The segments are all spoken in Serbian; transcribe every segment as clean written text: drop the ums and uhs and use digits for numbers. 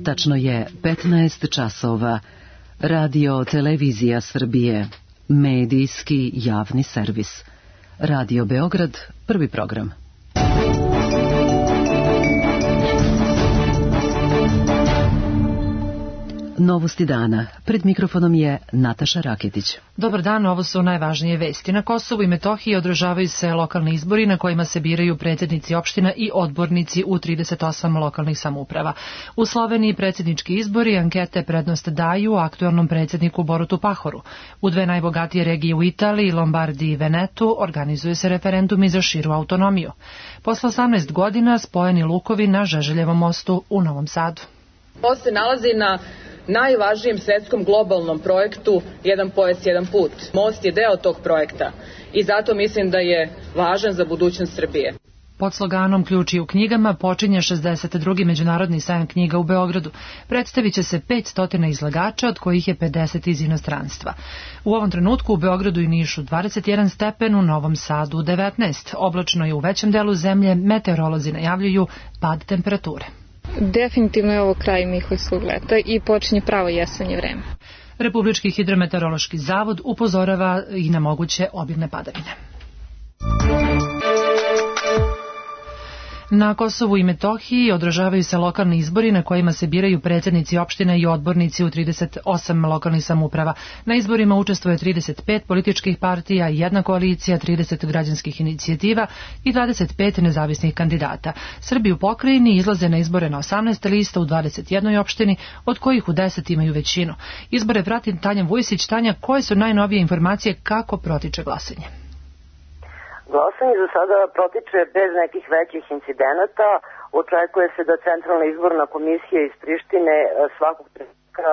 Tačno je 15 časova. Radio Televizija Srbije. Medijski javni servis. Radio Beograd, prvi program. Novosti dana. Pred mikrofonom je Nataša Raketić. Dobar dan, ovo su najvažnije vesti. Na Kosovu i Metohiji održavaju se lokalni izbori na kojima se biraju predsjednici opština i odbornici u 38 lokalnih samouprava. U Sloveniji predsjednički izbori ankete prednost daju aktuelnom predsjedniku Borutu Pahoru. U dve najbogatije regije u Italiji, Lombardiji i Venetu, organizuju se referendumi za širu autonomiju. Posle 18 godina spojeni lukovi na Žeželjevom mostu u Novom Sadu. Ovo se nalazi na najvažnijem svetskom globalnom projektu Jedan pojas, jedan put. Most je deo tog projekta i zato mislim da je važan za budućnost Srbije. Pod sloganom Ključi u knjigama počinje 62. Međunarodni sajam knjiga u Beogradu. Predstavit će se 500 izlagača, od kojih je 50 iz inostranstva. U ovom trenutku u Beogradu i Nišu 21 stepen, u Novom Sadu 19. Oblačno je u većem delu zemlje, meteorolozi najavljuju pad temperature. Definitivno je ovo kraj Mihojskog leta i počinje pravo jesenje vreme. Republički hidrometeorološki zavod upozorava i na moguće obilne padavine. Na Kosovu i Metohiji održavaju se lokalni izbori na kojima se biraju predsjednici opština i odbornici u 38 lokalnih samouprava. Na izborima učestvuje 35 političkih partija, jedna koalicija, 30 građanskih inicijativa i 25 nezavisnih kandidata. Srbi u pokrajini izlaze na izbore na 18 lista u 21 opštini, od kojih u 10 imaju većinu. Izbore prati Tanja Vujsić. Tanja, koje su najnovije informacije kako protiče glasanje? Glasanje za sada protiče bez nekih većih incidenata. Očekuje se da Centralna izborna komisija iz Prištine svakog trenutka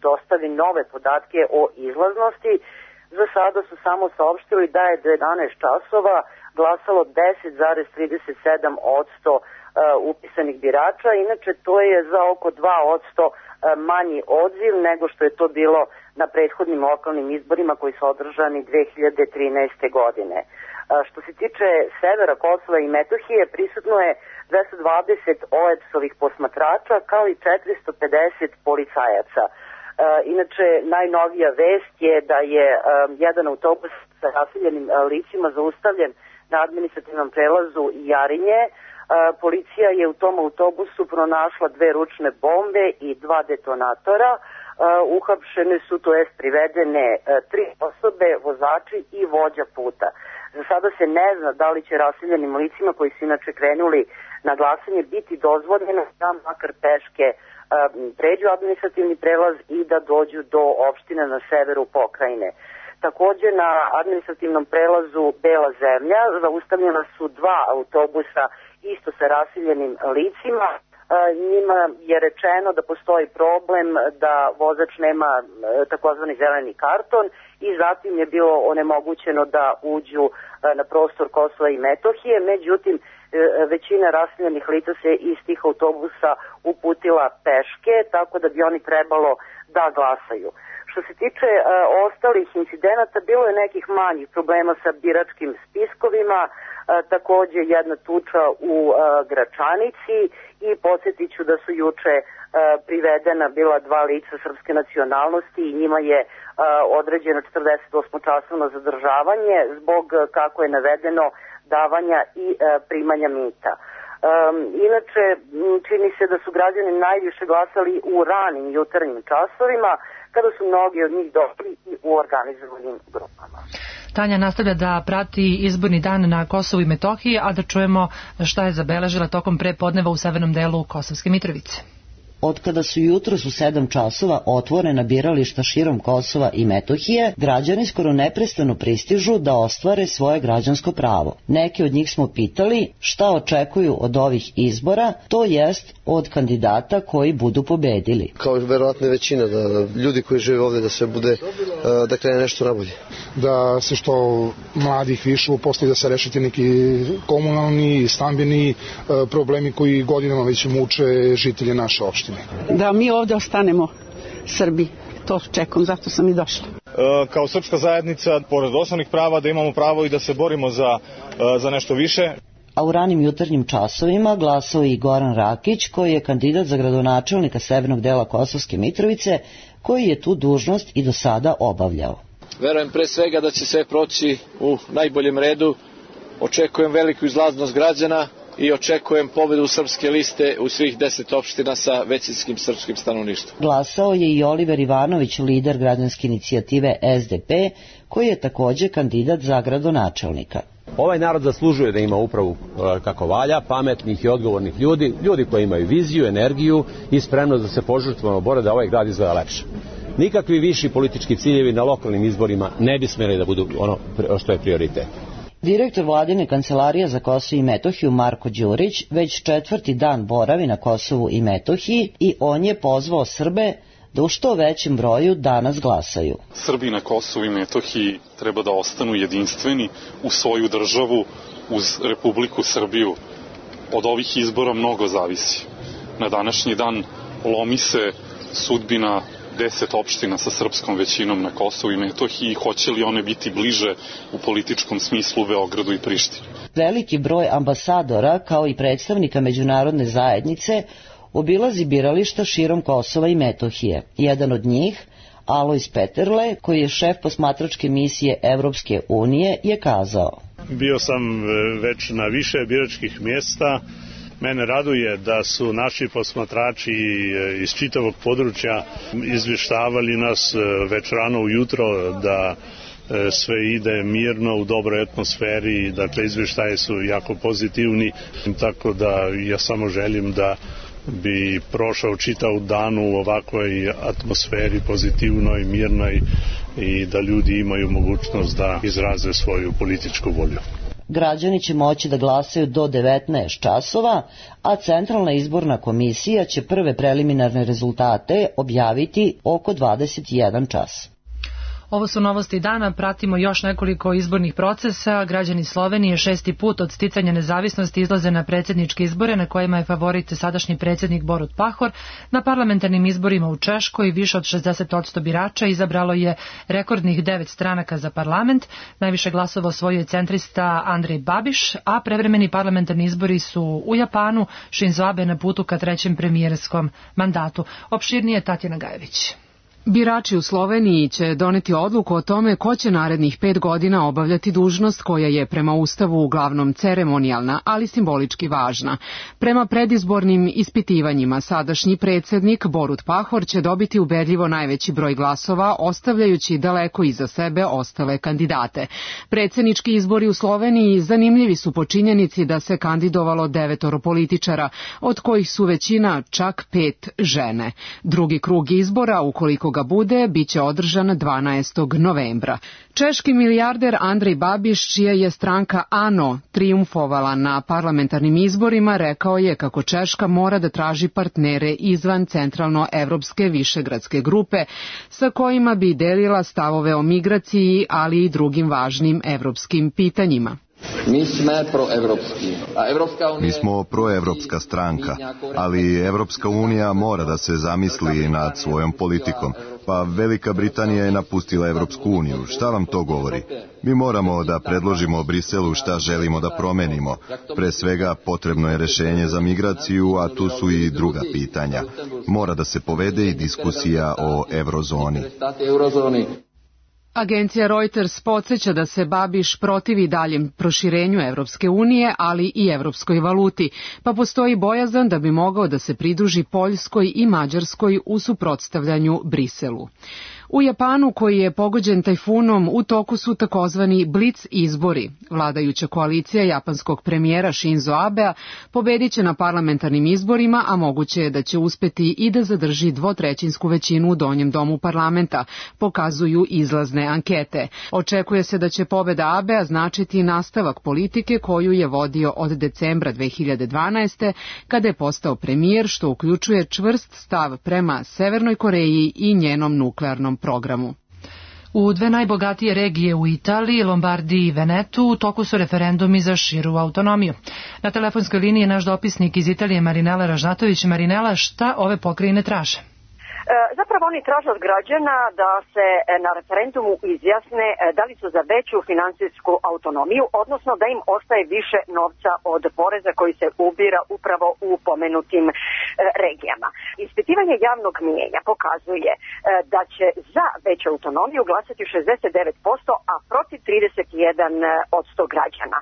dostavi nove podatke o izlaznosti. Za sada su samo saopštili da je do 11 časova glasalo 10,37% upisanih birača. Inače, to je za oko 2% manji odziv nego što je to bilo na prethodnim lokalnim izborima koji su održani 2013. godine. Što se tiče severa Kosova i Metohije, prisutno je 220 OEBS-ovih posmatrača kao i 450 policajaca. Inače, najnovija vest je da je jedan autobus sa raseljenim licima zaustavljen na administrativnom prelazu Jarinje. Policija je u tom autobusu pronašla 2 ručne bombe i 2 detonatora. Uhapšene su, to jest privedene 3 osobe, vozači i vođa puta. Za sada se ne zna da li će raseljenim licima koji su inače krenuli na glasanje biti dozvoljeno da makar peške pređu administrativni prelaz i da dođu do opštine na severu pokrajine. Takođe na administrativnom prelazu Bela zemlja zaustavljena su 2 autobusa isto sa raseljenim licima. Njima je rečeno da postoji problem da vozač nema takozvani zeleni karton i zatim je bilo onemogućeno da uđu na prostor Kosova i Metohije. Međutim, većina raseljenih lica se iz tih autobusa uputila peške, tako da bi oni trebalo da glasaju. Što se tiče ostalih incidenata, bilo je nekih manjih problema sa biračkim spiskovima, takođe jedna tuča u Gračanici i podsjetit ću da su juče privedena bila 2 lica srpske nacionalnosti i njima je određeno 48-časovno zadržavanje zbog, kako je navedeno, davanja i primanja mita. Inače, čini se da su građani najviše glasali u ranim jutarnjim časovima, kada su mnogi od njih došli i u organizovanim grupama. Tanja nastavlja da prati izborni dan na Kosovu i Metohiji, a da čujemo šta je zabeležila tokom prepodneva u severnom delu Kosovske Mitrovice. Otkada su jutros u 7 časova otvorena birališta širom Kosova i Metohije, građani skoro neprestano pristižu da ostvare svoje građansko pravo. Neke od njih smo pitali šta očekuju od ovih izbora, to jest od kandidata koji budu pobedili. Kao verovatno većina, da ljudi koji žive ovde da sve bude, da krene nešto nabolje. Da se što mladih više uposli, da se rešiti neki komunalni, stambeni problemi koji godinama već muče žitelje naše opštine. Da mi ovdje ostanemo Srbi, to čekam, zato sam i došla. Kao srpska zajednica, pored osnovnih prava, da imamo pravo i da se borimo za nešto više. a u ranim jutarnjim časovima glasao i Goran Rakić, koji je kandidat za gradonačelnika severnog dela Kosovske Mitrovice, koji je tu dužnost i do sada obavljao. Verujem pre svega da će sve proći u najboljem redu, očekujem veliku izlaznost građana i očekujem pobedu srpske liste u svih 10 opština sa većinskim srpskim stanovništvom. Glasao je i Oliver Ivanović, lider građanske inicijative SDP, koji je takođe kandidat za gradonačelnika. Ovaj narod zaslužuje da ima upravu kako valja, pametnih i odgovornih ljudi, ljudi koji imaju viziju, energiju i spremnost da se požrtvovno bore da ovaj grad izgleda lepše. Nikakvi viši politički ciljevi na lokalnim izborima ne bi smeli da budu ono što je prioritet. Direktor vladine kancelarije za Kosovo i Metohiju Marko Đurić već 4. dan boravi na Kosovu i Metohiji i on je pozvao Srbe da u što većem broju danas glasaju. Srbi na Kosovu i Metohiji treba da ostanu jedinstveni u svoju državu uz Republiku Srbiju. Od ovih izbora mnogo zavisi. Na današnji dan lomi se sudbina 10 opština sa srpskom većinom na Kosovu i Metohiji, hoće li one biti bliže u političkom smislu Beogradu i Prištini. Veliki broj ambasadora, kao i predstavnika međunarodne zajednice, obilazi birališta širom Kosova i Metohije. Jedan od njih, Alojz Peterle, koji je šef posmatračke misije Evropske unije, je kazao: Bio sam već na više biračkih mjesta. Mene raduje da su naši posmatrači iz čitavog područja izvještavali nas već rano ujutro da sve ide mirno, u dobroj atmosferi, dakle izvještaje su jako pozitivni, tako da ja samo želim da bi prošao čitav dan u ovakvoj atmosferi pozitivnoj, mirnoj i da ljudi imaju mogućnost da izraze svoju političku volju. Građani će moći da glasaju do 19 časova, a Centralna izborna komisija će prve preliminarne rezultate objaviti oko 21 čas. Ovo su novosti dana, pratimo još nekoliko izbornih procesa. Građani Slovenije 6. put od sticanja nezavisnosti izlaze na predsjedničke izbore na kojima je favorit sadašnji predsjednik Borut Pahor. Na parlamentarnim izborima u Češkoj više od 60% birača izabralo je rekordnih 9 stranaka za parlament. Najviše glasova osvojio je centrista Andrej Babiš, a prevremeni parlamentarni izbori su u Japanu. Shinzo Abe na putu ka trećem premijerskom mandatu. Opširnije Tatjana Gajević. Birači u Sloveniji će doneti odluku o tome ko će narednih 5 godina obavljati dužnost koja je prema Ustavu uglavnom ceremonijalna, ali simbolički važna. Prema predizbornim ispitivanjima sadašnji predsjednik Borut Pahor će dobiti ubedljivo najveći broj glasova, ostavljajući daleko iza sebe ostale kandidate. Predsjednički izbori u Sloveniji zanimljivi su po činjenici da se kandidovalo 9 političara, od kojih su većina čak 5 žene. Drugi krug izbora, ukoliko ga bude, biće održan 12. novembra. Češki milijarder Andrej Babiš, čija je stranka ANO trijumfovala na parlamentarnim izborima, rekao je kako Češka mora da traži partnere izvan centralno-evropske višegradske grupe sa kojima bi delila stavove o migraciji, ali i drugim važnim evropskim pitanjima. Mi smo proevropska stranka, ali Evropska unija mora da se zamisli nad svojom politikom. Pa Velika Britanija je napustila Evropsku uniju. Šta vam to govori? Mi moramo da predložimo Briselu šta želimo da promenimo. Pre svega potrebno je rešenje za migraciju, a tu su i druga pitanja. Mora da se povede i diskusija o eurozoni. Agencija Reuters podsjeća da se Babiš protivi daljem proširenju Evropske unije, ali i evropskoj valuti, pa postoji bojazan da bi mogao da se pridruži Poljskoj i Mađarskoj u suprotstavljanju Briselu. U Japanu, koji je pogođen tajfunom, u toku su takozvani blic izbori. Vladajuća koalicija japanskog premijera Shinzo Abea pobedit će na parlamentarnim izborima, a moguće je da će uspeti i da zadrži 2/3 većinu u donjem domu parlamenta, pokazuju izlazne ankete. Očekuje se da će pobeda Abea značiti nastavak politike koju je vodio od decembra 2012. kada je postao premijer, što uključuje čvrst stav prema Severnoj Koreji i njenom nuklearnom programu. U dve najbogatije regije u Italiji, Lombardiji i Venetu, u toku su referendumi za širu autonomiju. Na telefonskoj liniji je naš dopisnik iz Italije Marinela Ražnatović. Marinela, šta ove pokrajine traže? Zapravo oni traže od građana da se na referendumu izjasne da li su za veću finansijsku autonomiju, odnosno da im ostaje više novca od poreza koji se ubira upravo u pomenutim regijama. Ispitivanje javnog mijenja pokazuje da će za veću autonomiju glasati 69%, a protiv 31% građana.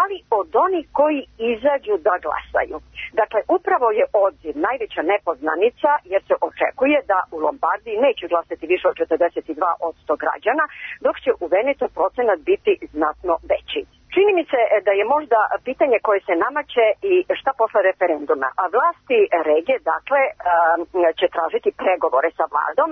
Ali od onih koji izađu da glasaju. Dakle, upravo je odziv najveća nepoznanica jer se očekuje da u Lombardiji neće glasati više od 42% građana, dok će u Venetu procenat biti znatno veći. Čini mi se da je možda pitanje koje se namaće i šta posle referenduma. A vlasti regije, dakle, će tražiti pregovore sa vladom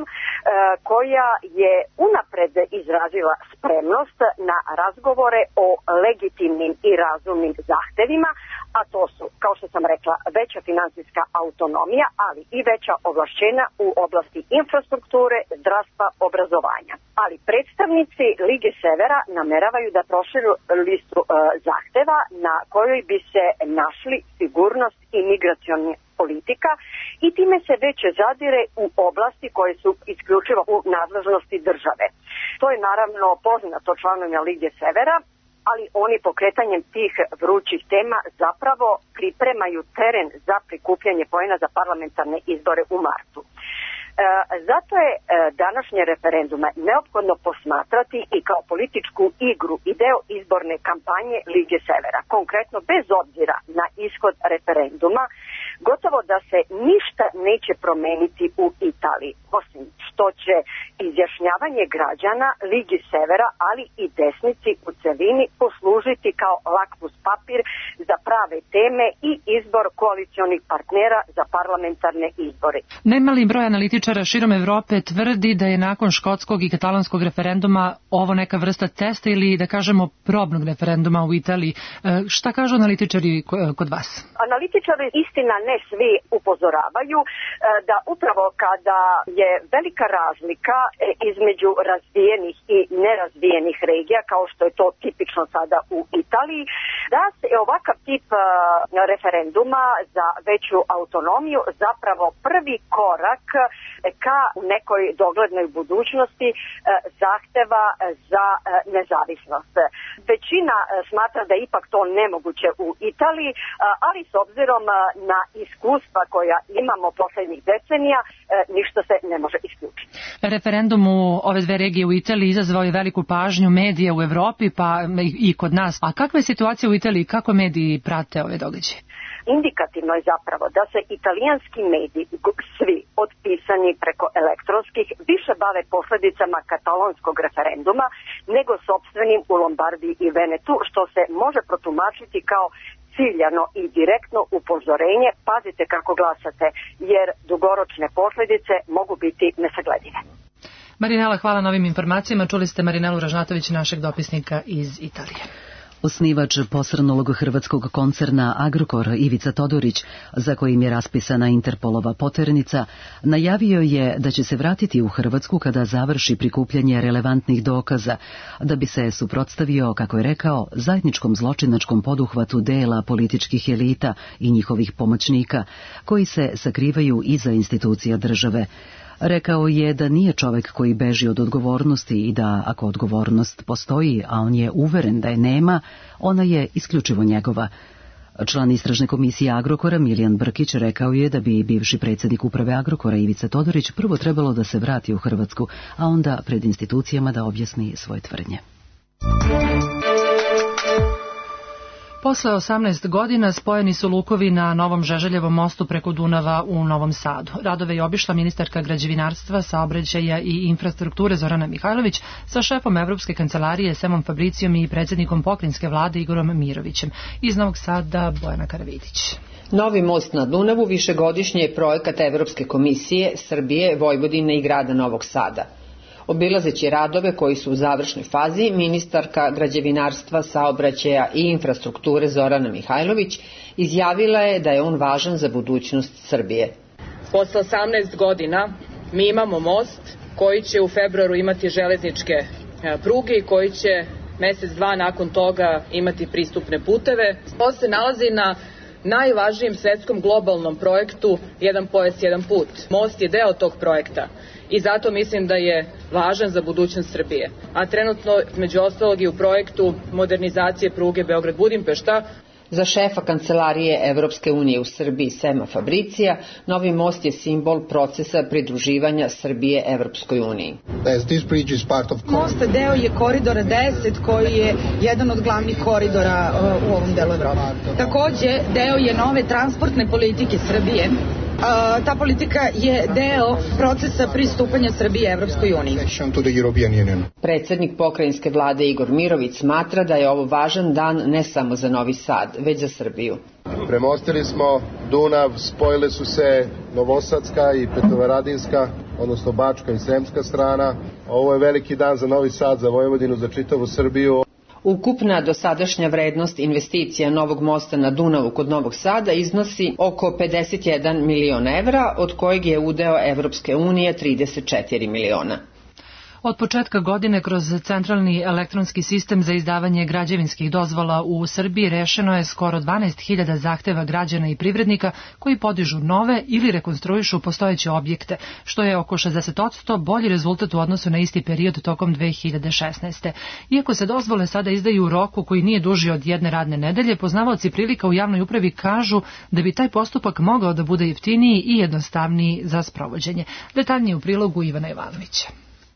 koja je unapred izrazila spremnost na razgovore o legitimnim i razumnim zahtevima, a to su, kao što sam rekla, veća finansijska autonomija, ali i veća ovlašćenja u oblasti infrastrukture, zdravstva, obrazovanja. Ali predstavnici Lige Severa nameravaju da proširu listu zahteva na kojoj bi se našli sigurnost i migraciona politika i time se već zadire u oblasti koje su isključivo u nadležnosti države. To je naravno poznato članovima Lige Severa, ali oni pokretanjem tih vrućih tema zapravo pripremaju teren za prikupljanje poena za parlamentarne izbore u martu. Zato je današnje referendume neophodno posmatrati i kao političku igru i deo izborne kampanje Lige Severa. Konkretno, bez obzira na ishod referenduma, gotovo da se ništa neće promeniti u Italiji, osim što će izjašnjavanje građana Ligi Severa, ali i desnici u celini poslužiti kao lakmus papir za prave teme i izbor koalicionih partnera za parlamentarne izbore. Nemali broj analitičara širom Evrope tvrdi da je nakon škotskog i katalonskog referenduma ovo neka vrsta testa ili, da kažemo, probnog referenduma u Italiji. Šta kažu analitičari kod vas? Analitičari, istina ne svi, upozoravaju da upravo kada je velika razlika između razvijenih i nerazvijenih regija, kao što je to tipično sada u Italiji, da se ovakav tip referenduma za veću autonomiju zapravo prvi korak ka nekoj doglednoj budućnosti zahteva za nezavisnost. Većina smatra da je ipak to nemoguće u Italiji, ali s obzirom na iskustva koja imamo poslednjih decenija, ništa se ne može isključiti. Referendum u ove dve regije u Italiji izazvao je veliku pažnju medija u Evropi, pa i kod nas. A kakva je situacija u Italiji? Kako mediji prate ove događaje? Indikativno je zapravo da se italijanski mediji, svi od pisanih preko elektronskih, više bave posledicama katalonskog referenduma nego sopstvenim u Lombardiji i Venetu, što se može protumačiti kao ciljano i direktno upozorenje: pazite kako glasate, jer dugoročne posledice mogu biti nesagledive. Marinela, hvala na ovim informacijama. Čuli ste Marinelu Ražnatović, našeg dopisnika iz Italije. Osnivač posrnulog hrvatskog koncerna Agrokor Ivica Todorić, za kojim je raspisana Interpolova poternica, najavio je da će se vratiti u Hrvatsku kada završi prikupljanje relevantnih dokaza, da bi se suprotstavio, kako je rekao, zajedničkom zločinačkom poduhvatu dela političkih elita i njihovih pomoćnika, koji se sakrivaju iza institucija države. Rekao je da nije čovek koji beži od odgovornosti i da, ako odgovornost postoji, a on je uveren da je nema, ona je isključivo njegova. Član istražne komisije Agrokora Milijan Brkić rekao je da bi bivši predsjednik uprave Agrokora Ivica Todorić prvo trebalo da se vrati u Hrvatsku, a onda pred institucijama da objasni svoje tvrdnje. Posle 18 godina spojeni su lukovi na Novom Žeželjevom mostu preko Dunava u Novom Sadu. Radove je obišla ministarka građevinarstva, saobraćaja i infrastrukture Zorana Mihajlović sa šefom Evropske kancelarije Semom Fabricijom i predsjednikom pokrajinske vlade Igorom Mirovićem. Iz Novog Sada Bojana Karavidić. Novi most na Dunavu višegodišnji je projekat Evropske komisije, Srbije, Vojvodine i grada Novog Sada. Obilazeći radove koji su u završnoj fazi, ministarka građevinarstva, saobraćaja i infrastrukture Zorana Mihajlović izjavila je da je on važan za budućnost Srbije. Posle 18 godina mi imamo most koji će u februaru imati železničke pruge i koji će mesec, dva nakon toga imati pristupne puteve. Most se nalazi na najvažnijem svetskom globalnom projektu Jedan pojas, jedan put. Most je deo tog projekta i zato mislim da je važan za budućnost Srbije. A trenutno, među ostalog, i u projektu modernizacije pruge Beograd-Budimpešta. Za šefa kancelarije Evropske unije u Srbiji Sema Fabricija, novi most je simbol procesa pridruživanja Srbije Evropskoj uniji. Most deo je koridora 10 koji je jedan od glavnih koridora u ovom delu Evrope. Takođe, deo je nove transportne politike Srbije. Ta politika je deo procesa pristupanja Srbije Evropskoj uniji. Predsednik pokrajinske vlade Igor Mirović smatra da je ovo važan dan ne samo za Novi Sad, već za Srbiju. Premostili smo Dunav, spojile su se Novosadska i Petrovaradinska, odnosno Bačka i Sremska strana. Ovo je veliki dan za Novi Sad, za Vojvodinu, za čitavu Srbiju. Ukupna dosadašnja vrednost investicija novog mosta na Dunavu kod Novog Sada iznosi oko 51 miliona evra, od kojeg je udeo Evropske unije 34 miliona. Od početka godine kroz centralni elektronski sistem za izdavanje građevinskih dozvola u Srbiji rešeno je skoro 12.000 zahteva građana i privrednika koji podižu nove ili rekonstruišu postojeće objekte, što je oko 60% bolji rezultat u odnosu na isti period tokom 2016. Iako se dozvole sada izdaju u roku koji nije duži od jedne radne nedelje, poznavaoci prilika u javnoj upravi kažu da bi taj postupak mogao da bude jeftiniji i jednostavniji za sprovođenje. Detaljnije u prilogu Ivana Ivanovića.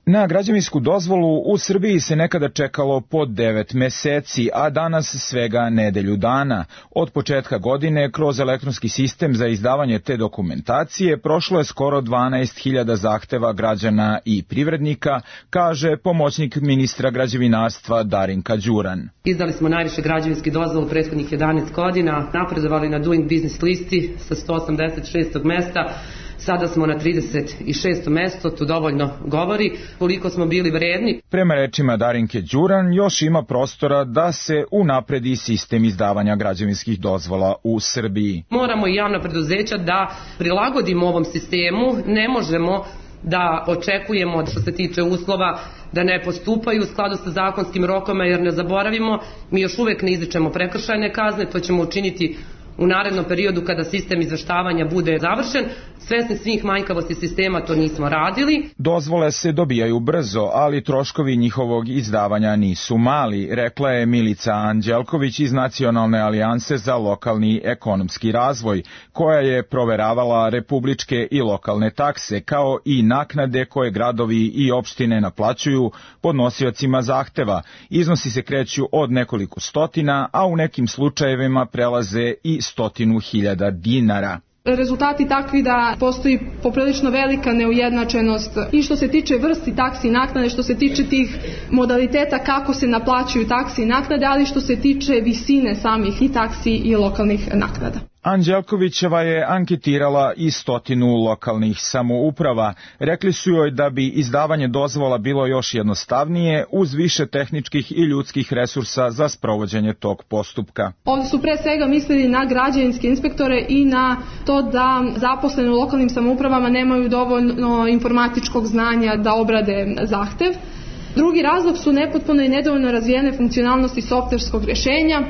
Na građevinsku dozvolu u Srbiji se nekada čekalo po 9 meseci, a danas svega nedelju dana. Od početka godine kroz elektronski sistem za izdavanje te dokumentacije prošlo je skoro 12.000 zahteva građana i privrednika, kaže pomoćnik ministra građevinarstva Darinka Đuran. Izdali smo najviše građevinskih dozvola u prethodnih 11 godina, napredovali na Doing Business listi sa 186. mesta. Sada smo na 36. mesto, to dovoljno govori koliko smo bili vredni. Prema rečima Darinke Đuran, još ima prostora da se unapredi sistem izdavanja građevinskih dozvola u Srbiji. Moramo i javna preduzeća da prilagodimo ovom sistemu, ne možemo da očekujemo što se tiče uslova da ne postupaju u skladu sa zakonskim rokovima, jer ne zaboravimo, mi još uvek ne izričemo prekršajne kazne, to ćemo učiniti u narednom periodu kada sistem izveštavanja bude završen. Svesni svih manjkavosti sistema to nismo radili. Dozvole se dobijaju brzo, ali troškovi njihovog izdavanja nisu mali, rekla je Milica Anđelković iz Nacionalne alijanse za lokalni ekonomski razvoj, koja je proveravala republičke i lokalne takse, kao i naknade koje gradovi i opštine naplaćuju podnosiocima zahteva. Iznosi se kreću od nekoliko stotina, a u nekim slučajevima prelaze i 100.000 dinara. Rezultati takvi da postoji poprilično velika neujednačenost i što se tiče vrsti taksi i naknade, što se tiče tih modaliteta kako se naplaćuju taksi i naknade, ali što se tiče visine samih i taksi i lokalnih naknada. Anđelkovićeva je anketirala i 100 lokalnih samouprava. Rekli su joj da bi izdavanje dozvola bilo još jednostavnije uz više tehničkih i ljudskih resursa za sprovođenje tog postupka. Ovdje su pre svega mislili na građevinske inspektore i na to da zaposleni u lokalnim samoupravama nemaju dovoljno informatičkog znanja da obrade zahtev. Drugi razlog su nepotpuno i nedovoljno razvijene funkcionalnosti softverskog rješenja.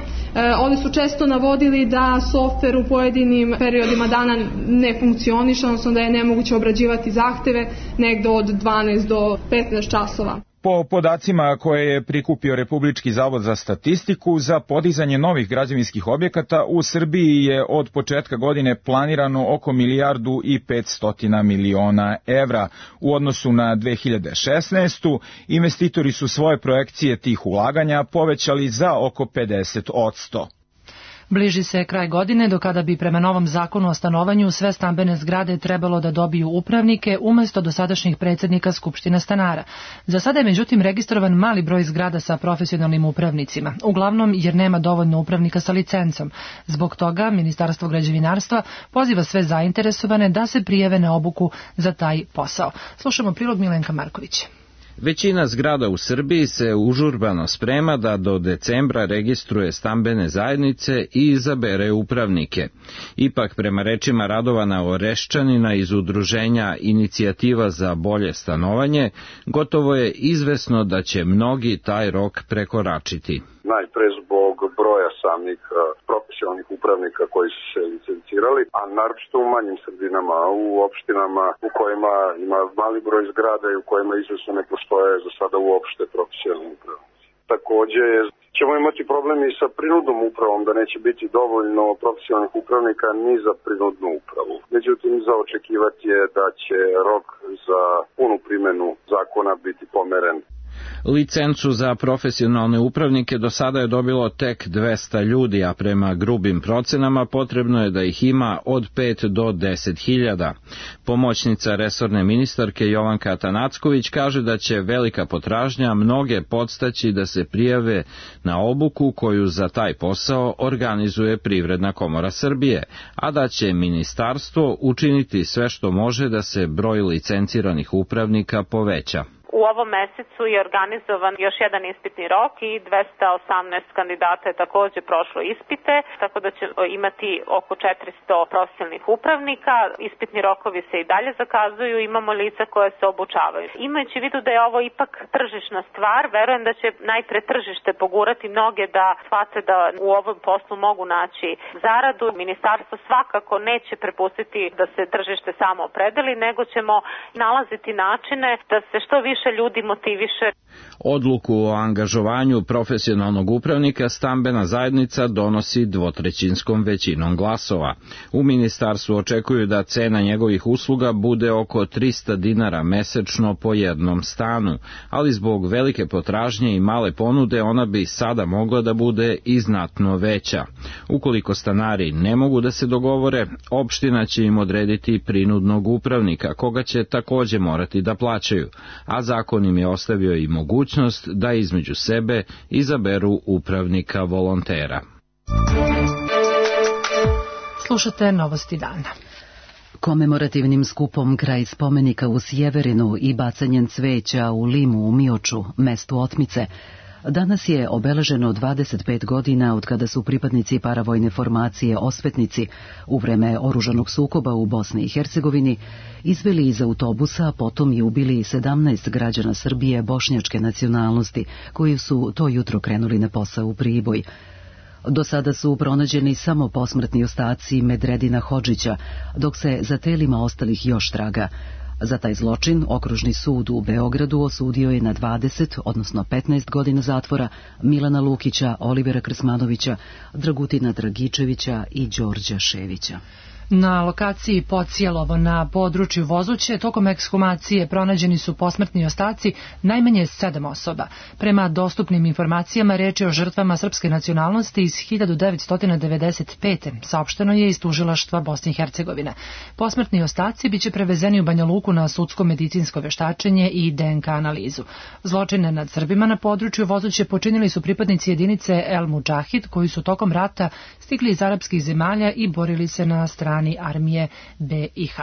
Ovdje su često navodili da softver u pojedinim periodima dana ne funkcioniše, odnosno da je nemoguće obrađivati zahteve negde od 12 do 15 časova. Po podacima koje je prikupio Republički zavod za statistiku, za podizanje novih građevinskih objekata u Srbiji je od početka godine planirano oko 1.500 miliona evra. U odnosu na 2016. investitori su svoje projekcije tih ulaganja povećali za oko 50%. Bliži se kraj godine do kada bi prema novom zakonu o stanovanju sve stambene zgrade trebalo da dobiju upravnike umesto dosadašnjih predsjednika Skupštine stanara. Za sada je međutim registrovan mali broj zgrada sa profesionalnim upravnicima, uglavnom jer nema dovoljno upravnika sa licencom. Zbog toga Ministarstvo građevinarstva poziva sve zainteresovane da se prijave na obuku za taj posao. Slušamo prilog Milenka Markovića. Većina zgrada u Srbiji se užurbano sprema da do decembra registruje stambene zajednice i izabere upravnike. Ipak, prema rečima Radovana Oreščanina iz udruženja Inicijativa za bolje stanovanje, gotovo je izvesno da će mnogi taj rok prekoračiti. Najpre zbog zbog broja samih profesionalnih upravnika koji su se licencirali, a naročito u manjim sredinama, u opštinama u kojima ima mali broj zgrada i u kojima izvesno ne postoje za sada uopšte profesionalni upravnici. Takođe ćemo imati problem i sa prinudnom upravom, da neće biti dovoljno profesionalnih upravnika ni za prinudnu upravu. Međutim, za očekivati je da će rok za punu primenu zakona biti pomeren. Licencu za profesionalne upravnike do sada je dobilo tek 200 ljudi, a prema grubim procenama potrebno je da ih ima od 5 do 10.000. Pomoćnica resorne ministarke Jovanka Atanacković kaže da će velika potražnja mnoge podstaći da se prijave na obuku koju za taj posao organizuje Privredna komora Srbije, a da će ministarstvo učiniti sve što može da se broj licenciranih upravnika poveća. U ovom mesecu je organizovan još jedan ispitni rok i 218 kandidata je takođe prošlo ispite, tako da će imati oko 400 profesionalnih upravnika. Ispitni rokovi se i dalje zakazuju, imamo lica koje se obučavaju. Imajući vidu da je ovo ipak tržišna stvar, verujem da će najpre tržište pogurati mnoge da shvate da u ovom poslu mogu naći zaradu. Ministarstvo svakako neće prepustiti da se tržište samo opredeli, nego ćemo nalaziti načine da se što više ljudi motiviše. Odluku o angažovanju profesionalnog upravnika stambena zajednica donosi dvotrećinskom većinom glasova. U ministarstvu očekuju da cena njegovih usluga bude oko 300 dinara mesečno po jednom stanu, ali zbog velike potražnje i male ponude ona bi sada mogla da bude i znatno veća. Ukoliko stanari ne mogu da se dogovore, opština će im odrediti prinudnog upravnika, koga će takođe morati da plaćaju, a zakon im je ostavio i mogućnost da između sebe izaberu upravnika volontera. Slušate Novosti dana. Komemorativnim skupom kraj spomenika u Sjeverinu i bacanjem cveća u Limu u Mioču, mestu otmice, danas je obeleženo 25 godina od kada su pripadnici paravojne formacije Osvetnici u vreme oružanog sukoba u Bosni i Hercegovini izveli iz autobusa, a potom i ubili 17 građana Srbije bošnjačke nacionalnosti koji su to jutro krenuli na posao u Priboj. Do sada su pronađeni samo posmrtni ostaci Medredina Hodžića, dok se za telima ostalih još traga. Za taj zločin Okružni sud u Beogradu osudio je na 20, odnosno 15 godina zatvora Milana Lukića, Olivera Krsmanovića, Dragutina Dragičevića i Đorđa Ševića. Na lokaciji Pocijelovo na području Vozuće tokom ekshumacije pronađeni su posmrtni ostaci najmanje 7 osoba. Prema dostupnim informacijama reč je o žrtvama srpske nacionalnosti iz 1995. Saopšteno je iz tužilaštva Bosne i Hercegovine. Posmrtni ostaci biće prevezeni u Banja Luku na sudsko-medicinsko veštačenje i DNK analizu. Zločine nad Srbima na području Vozuće počinili su pripadnici jedinice El Mudžahid koji su tokom rata stigli iz arapskih zemalja i borili se na strani armije BiH.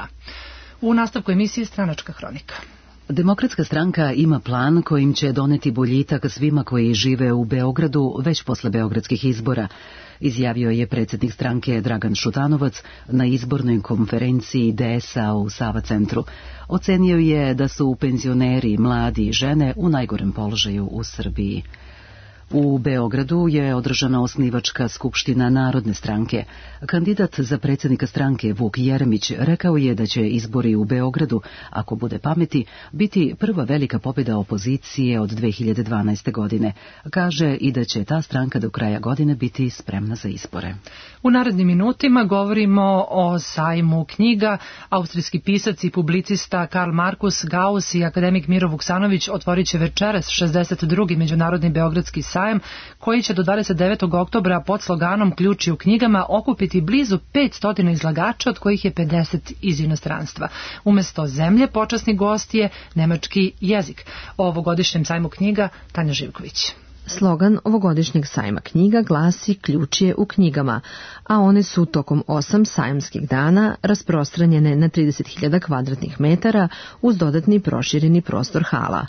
U nastavku emisije Stranačka hronika. Demokratska stranka ima plan kojim će doneti boljitak svima koji žive u Beogradu već posle beogradskih izbora, izjavio je predsjednik stranke Dragan Šutanovac na izbornoj konferenciji DS-a u Sava centru. Ocenio je da su penzioneri, mladi i žene u najgorem položaju u Srbiji. U Beogradu je održana osnivačka skupština Narodne stranke. Kandidat za predsjednika stranke Vuk Jeremić rekao je da će izbori u Beogradu, ako bude pameti, biti prva velika pobjeda opozicije od 2012. godine. Kaže i da će ta stranka do kraja godine biti spremna za izbore. U narednim minutima govorimo o sajmu knjiga. Austrijski pisac i publicista Karl Markus Gauss i akademik Miro Vuksanović otvorit će večeras 62. Međunarodni beogradski sajam, koji će do 29. oktobra pod sloganom Ključi u knjigama okupiti blizu 500 izlagača, od kojih je 50 iz inostranstva. Umesto zemlje, počasni gost je nemački jezik. O ovogodišnjem sajmu knjiga Tanja Živković. Slogan ovogodišnjeg sajma knjiga glasi Ključ je u knjigama, a one su tokom 8 sajamskih dana rasprostranjene na 30.000 kvadratnih metara uz dodatni prošireni prostor hala.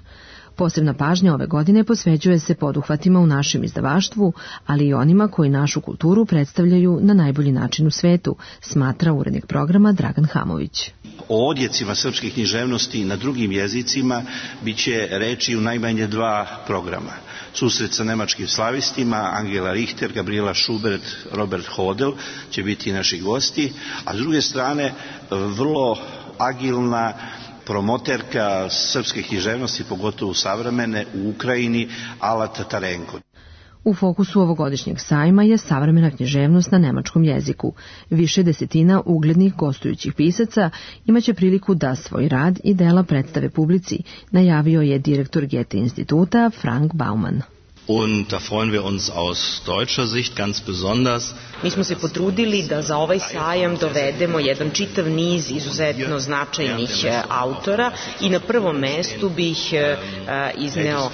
Posebna pažnja ove godine posvećuje se poduhvatima u našem izdavaštvu, ali i onima koji našu kulturu predstavljaju na najbolji način u svetu, smatra urednik programa Dragan Hamović. O odjecima srpske književnosti na drugim jezicima bit će reči u najmanje 2 programa. Susret sa nemačkim slavistima, Angela Richter, Gabriela Schubert, Robert Hodel će biti naši gosti, a s druge strane vrlo agilna promoterka srpske književnosti, pogotovo savremene, u Ukrajini, Ala Tatarenko. U fokusu ovogodišnjeg sajma je savremena književnost na nemačkom jeziku. Više desetina uglednih gostujućih pisaca imaće priliku da svoj rad i dela predstave publici, najavio je direktor Goethe instituta Frank Baumann. Und da freuen wir uns aus deutscher Sicht ganz besonders. Mi smo se potrudili da za ovaj sajam dovedemo jedan čitav niz izuzetno značajnih autora i na prvom mestu bih izneo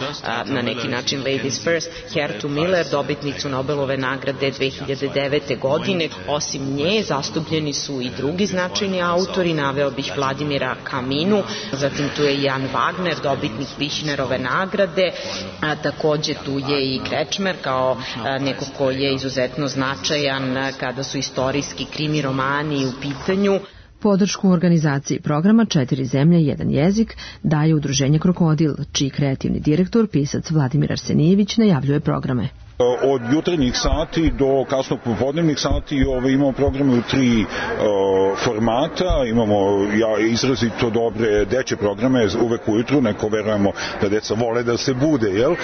na neki način Ladies First Hertu Miller, dobitnicu Nobelove nagrade 2009. godine. Osim nje zastupljeni su i drugi značajni autori, naveo bih Vladimira Kaminu, zatim tu je Jan Wagner, dobitnik Vichnerove nagrade, a takođe tu je i Krečmer kao neko ko je izuzetno značajan kada su istorijski krimi romani u pitanju. Podršku u organizaciji programa 4 zemlje, 1 jezik daje udruženje Krokodil, čiji kreativni direktor, pisac Vladimir Arsenijević, najavljuje programe. Od jutarnjih sati do kasnog popodnevnih sati imamo programe u 3 formata. Imamo izrazito dobre dečje programe uvek ujutru, neko verujemo da deca vole da se bude, jel?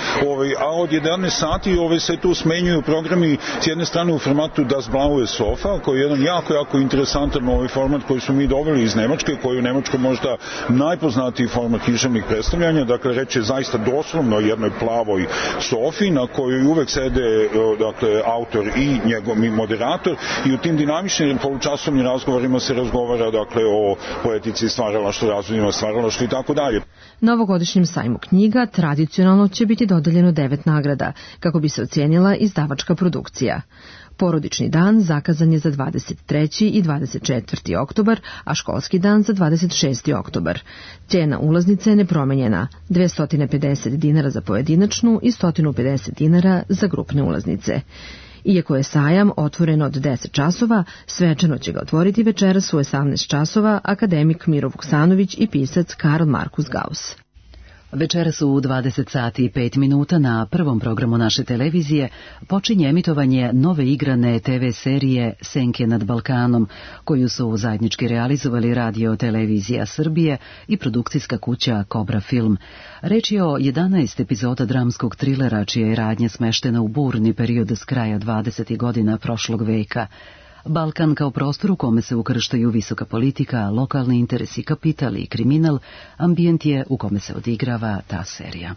A od 11 sati se tu smenjuju programi s jedne strane u formatu Das Blaue Sofa, koji je jedan jako interesantan format koji smo mi doveli iz Nemačke, koji je u Nemačkoj možda najpoznatiji format književnih predstavljanja. Dakle, reč je zaista doslovno o jednoj plavoj sofi na kojoj uvek sede autor i njegov moderator i u tim dinamičnim polučasovnim razgovorima se razgovara o poetici, stvaralaštvu, razvojima stvaralaštva i tako dalje. Na ovogodišnjem sajmu knjiga tradicionalno će biti dodeljeno 9 nagrada kako bi se ocijenila izdavačka produkcija. Porodični dan zakazan je za 23. i 24. oktobar, a školski dan za 26. oktobar. Cijena ulaznice je nepromenjena, 250 dinara za pojedinačnu i 150 dinara za grupne ulaznice. Iako je sajam otvoren od 10 časova, svečano će ga otvoriti večeras u 18 časova akademik Miro Vuksanović i pisac Karl Markus Gauss. Večeras u 20 sati i 5 minuta na prvom programu naše televizije počinje emitovanje nove igrane TV serije Senke nad Balkanom, koju su zajednički realizovali Radio Televizija Srbije i produkcijska kuća Kobra Film. Reč je o 11 epizoda dramskog trilera čija je radnja smeštena u burni period s kraja 20. godina prošlog veka. Balkan kao prostor u kome se ukrštaju visoka politika, lokalni interesi, kapital i kriminal, ambijent je u kome se odigrava ta serija.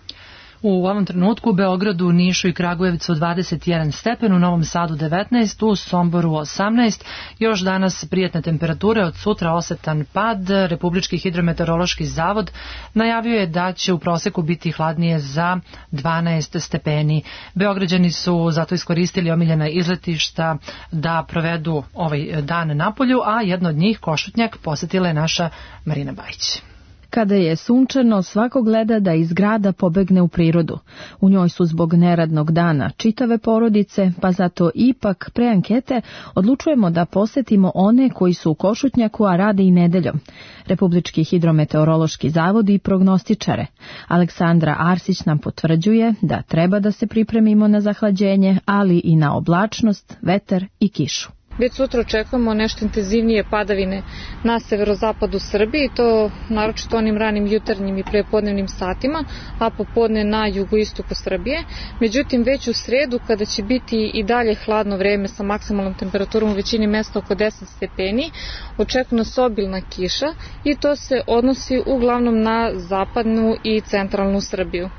U ovom trenutku u Beogradu, Nišu i Kragujevcu 21 stepen, u Novom Sadu 19, u Somboru 18. Još danas prijatne temperature, od sutra osetan pad. Republički hidrometeorološki zavod najavio je da će u proseku biti hladnije za 12 stepeni. Beograđani su zato iskoristili omiljena izletišta da provedu ovaj dan napolju, a jedno od njih, Košutnjak, posetila je naša Marina Bajić. Kada je sunčano, svako gleda da iz grada pobegne u prirodu. U njoj su zbog neradnog dana čitave porodice, pa zato ipak pre ankete odlučujemo da posetimo one koji su u Košutnjaku, a rade i nedeljom. Republički hidrometeorološki zavod i prognostičare. Aleksandra Arsić nam potvrđuje da treba da se pripremimo na zahlađenje, ali i na oblačnost, vetar i kišu. Već sutra očekujemo nešto intenzivnije padavine na severozapadu Srbije, to naročito onim ranim jutarnjim i prepodnevnim satima, a popodne na jugoistoku Srbije. Međutim, već u sredu, kada će biti i dalje hladno vreme sa maksimalnom temperaturom u većini mesta oko 10 stepeni, očekuje nas obilna kiša i to se odnosi uglavnom na zapadnu i centralnu Srbiju.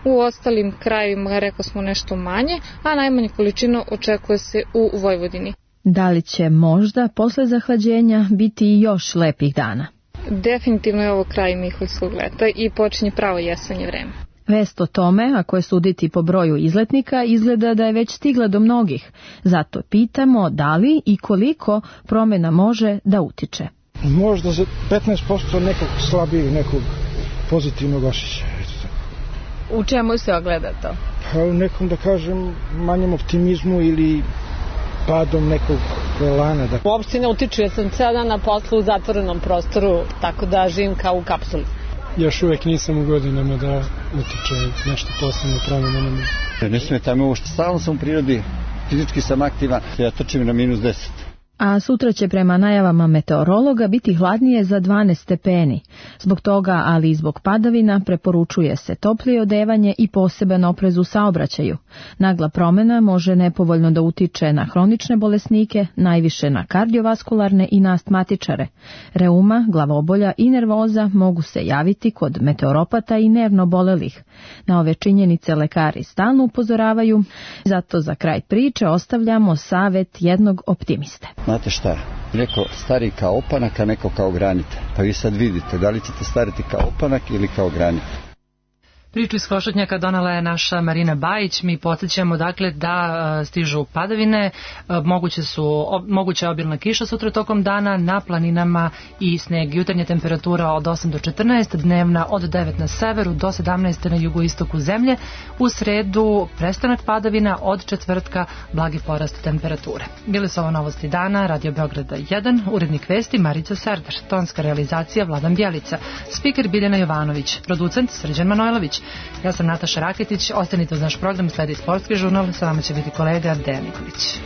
U ostalim krajevima, rekao smo, nešto manje, a najmanje količina očekuje se u Vojvodini. Da li će možda posle zahlađenja biti i još lepih dana? Definitivno je ovo kraj Miholjskog leta i počinje pravo jesenje vreme. Vest o tome, ako je suditi po broju izletnika, izgleda da je već stigla do mnogih. Zato pitamo da li i koliko promjena može da utiče. Možda za 15% nekog slabijeg, nekog pozitivnog osjećaja. U čemu se ogleda to? Pa u nekom, da kažem, manjem optimizmu ili padom nekog lana. Uopšte ne utiče, jer sam ceo dan na poslu u zatvorenom prostoru, tako da živim kao u kapsuli. Još uvek nisam u godinama da utiče nešto posebno promjena. Ne smeta me uopšte, stalno sam u prirodi, fizički sam aktivan, ja trčim na -10. A sutra će prema najavama meteorologa biti hladnije za 12 stepeni. Zbog toga, ali i zbog padavina, preporučuje se toplije odevanje i poseban oprez u saobraćaju. Nagla promjena može nepovoljno da utiče na hronične bolesnike, najviše na kardiovaskularne i na astmatičare. Reuma, glavobolja i nervoza mogu se javiti kod meteoropata i nervno bolelih. Na ove činjenice lekari stalno upozoravaju, zato za kraj priče ostavljamo savet jednog optimiste. Znate šta, neko stari kao opanak, a neko kao granit. Pa vi sad vidite, da li ćete stariti kao opanak ili kao granit. Priču iz Košutnjaka donala je naša Marina Bajić. Mi podsjećamo dakle da stižu padavine, moguća je obilna kiša sutra tokom dana, na planinama i sneg. Jutarnja temperatura od 8 do 14, dnevna od 9 na severu do 17 na jugoistoku zemlje. U sredu prestanak padavina, od četvrtka blagi porast temperature. Bile su ovo novosti dana, Radio Beograda 1, urednik vesti Marica Serdar, tonska realizacija Vladan Bjelica, spiker Biljana Jovanović, producent Srđan Manojlović. Ja sam Nataša Raketić, ostanite uz naš program, sledi sportski žurnal, sa vama će biti kolega Dejan Nikolić.